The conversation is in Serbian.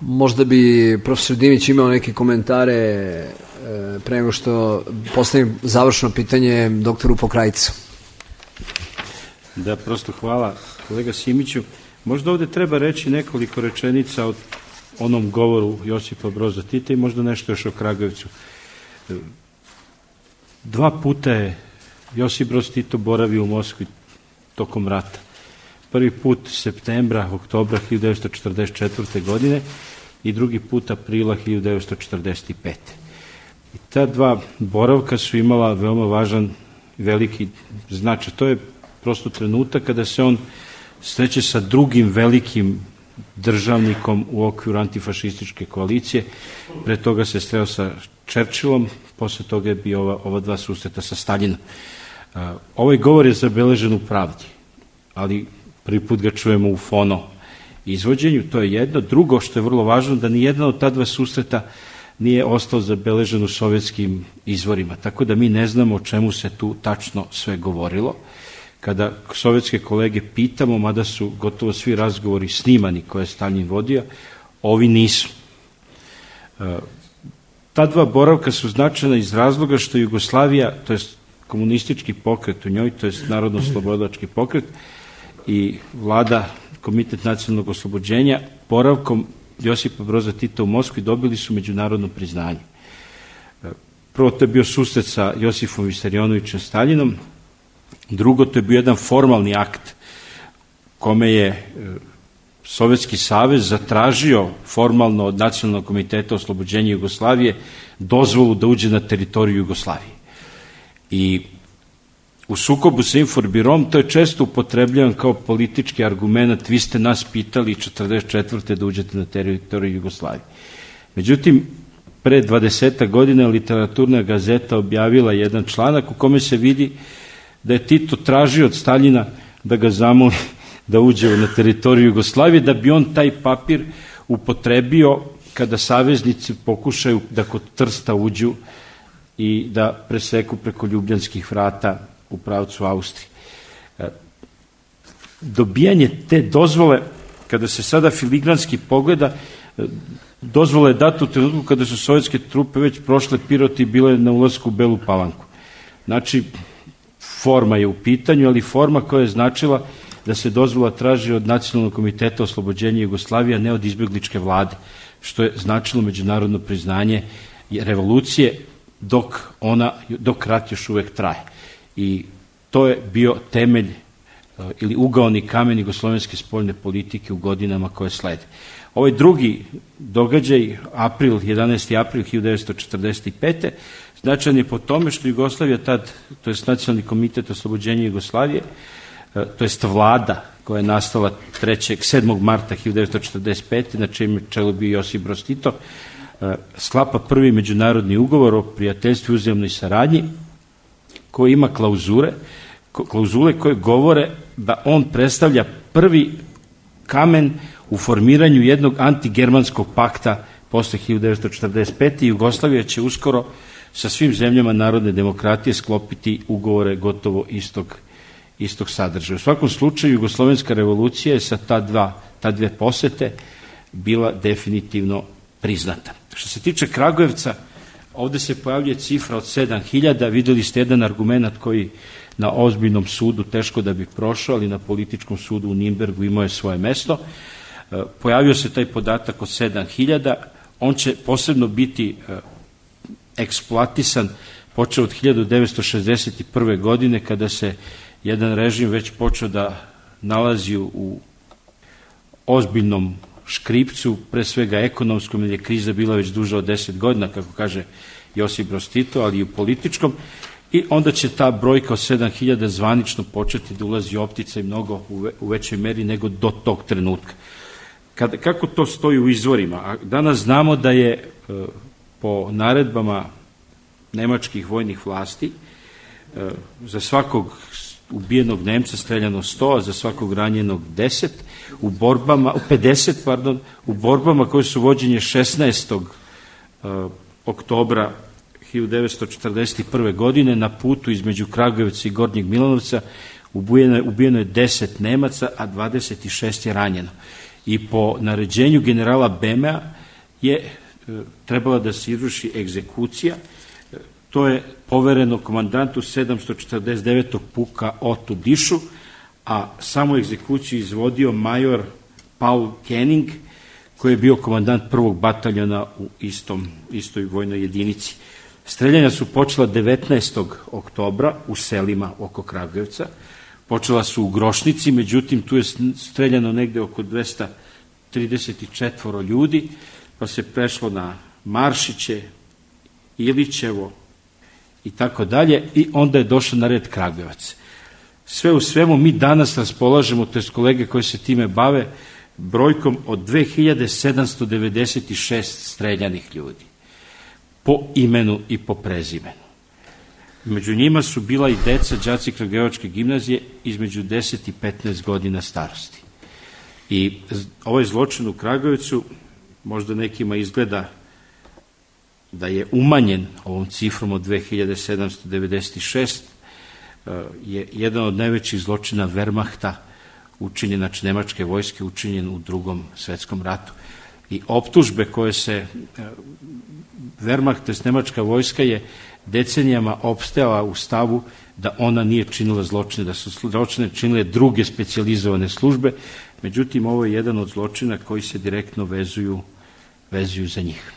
Možda bi profesor Dimić imao neke komentare pre nego što postavim završno pitanje doktoru Pokrajcu. Da, prosto hvala kolega Simiću. Možda ovde treba reći nekoliko rečenica o onom govoru Josipa Broza Tita i možda nešto još o Kragujevcu. 2 puta je Josip Broz Tito boravio u Moskvi tokom rata. Prvi put septembra, oktobra 1944. godine i drugi put aprila 1945. I ta 2 boravka su imala veoma važan, veliki značaj. To je prosto trenutak kada se on sreće sa drugim velikim državnikom u okviru antifašističke koalicije. Pre toga se sreo sa Churchillom, posle toga je bio ova 2 susreta sa Staljinom. Ovaj govor je zabeležen u Pravdi, ali prvi put ga čujemo u fono izvođenju, to je jedno. Drugo što je vrlo važno, da nijedna od ta 2 susreta nije ostao zabeležen u sovjetskim izvorima, tako da mi ne znamo o čemu se tu tačno sve govorilo. Kada sovjetske kolege pitamo, mada su gotovo svi razgovori snimani koje je Staljin vodio, ovi nisu. Ta 2 boravka su značajna iz razloga što Jugoslavija, to je komunistički pokret u njoj, to je narodno-slobodilački pokret i vlada, Komitet nacionalnog oslobođenja, boravkom Josipa Broza Tita u Moskvi dobili su međunarodno priznanje. Prvo, to je bio susret sa Josifom Visarionovićem Staljinom. Drugo, to je bio jedan formalni akt kome je Sovjetski savez zatražio formalno od Nacionalnog komiteta oslobođenja Jugoslavije dozvolu da uđe na teritoriju Jugoslavije. I u sukobu sa Inforbirom to je često upotrebljavan kao politički argument, vi ste nas pitali 1944. da uđete na teritoriju Jugoslavije. Međutim, pre 20 godina Literaturna gazeta objavila jedan članak u kome se vidi da je Tito tražio od Staljina da ga zamoli da uđe na teritoriju Jugoslavije, da bi on taj papir upotrebio kada saveznici pokušaju da kod Trsta uđu i da preseku preko Ljubljanskih vrata u pravcu Austrije. Dobijanje te dozvole, kada se sada filigranski pogleda, dozvola je data u trenutku kada su sovjetske trupe već prošle Pirot i bile na ulasku u Belu Palanku. Znači, forma je u pitanju, ali forma koja je značila da se dozvola traži od Nacionalnog komiteta oslobođenja Jugoslavije, a ne od izbegličke vlade, što je značilo međunarodno priznanje revolucije dok rat još uvek traje. I to je bio temelj ili ugaoni kamen jugoslovenske spoljne politike u godinama koje slede. Ovaj drugi događaj, 11. april 1945. značajan je po tome što Jugoslavija tad, to je Nacionalni komitet oslobođenja Jugoslavije, to jest vlada koja je nastala 7. marta 1945. na čijem čelu bio Josip Broz Tito, sklapa prvi međunarodni ugovor o prijateljstvu i uzajamnoj saradnji koji ima klauzule koje govore da on predstavlja prvi kamen u formiranju jednog antigermanskog pakta posle 1945. Jugoslavija će uskoro sa svim zemljama narodne demokratije sklopiti ugovore gotovo istog sadržaja. U svakom slučaju, jugoslovenska revolucija je sa ta 2 posete bila definitivno priznata. Što se tiče Kragujevca, ovde se pojavljuje cifra od 7.000, videli ste jedan argument koji na ozbiljnom sudu teško da bi prošao, ali na političkom sudu u Nimbergu imao je svoje mesto. Pojavio se taj podatak od 7.000, on će posebno biti eksploatisan počeo od 1961. godine kada se jedan režim već počeo da nalazi u ozbiljnom škripcu, pre svega ekonomskom, jer je kriza bila već duža od 10 godina, kako kaže Josip Broz Tito, ali i u političkom, i onda će ta brojka od 7.000 zvanično početi da ulazi u opticaj mnogo u većoj meri nego do tog trenutka. Kako to stoji u izvorima? Danas znamo da je po naredbama nemačkih vojnih vlasti za svakog ubijenog Nemca streljano 100, a za svakog ranjenog 50, u borbama koje su vođenje 16. oktobra 1941. godine na putu između Kragujevca i Gornjeg Milanovca ubijeno je 10 Nemaca, a 26 je ranjeno. i po naređenju generala Bemea je trebala da se izvrši egzekucija. To je povereno komandantu 749. puka Otu Dišu, a samo egzekuciju izvodio major Paul Kenning, koji je bio komandant prvog bataljona u istoj vojnoj jedinici. Streljanja su počela 19. oktobra u selima oko Kragujevca. Počela su u Grošnici, međutim tu je streljano negde oko 234 ljudi, pa se prešlo na Maršiće, Ilićevo i tako dalje, i onda je došlo na red Kragujevac. Sve u svemu mi danas raspolažemo, to je kolege koji se time bave, brojkom od 2796 streljanih ljudi, po imenu i po prezimenu. Među njima su bila i deca, đaci Kragujevačke gimnazije između 10 i 15 godina starosti. I ovaj zločin u Kragujevcu možda nekima izgleda da je umanjen ovom cifrom od 2796, je jedan od najvećih zločina Wehrmachta učinjen, znači nemačke vojske, učinjen u Drugom svetskom ratu. I optužbe koje se Wehrmacht, to jest nemačka vojska, je decenijama opstajala u stavu da ona nije činila zločine, da su zločine činile druge specijalizovane službe, međutim ovo je jedan od zločina koji se direktno vezuju za njih.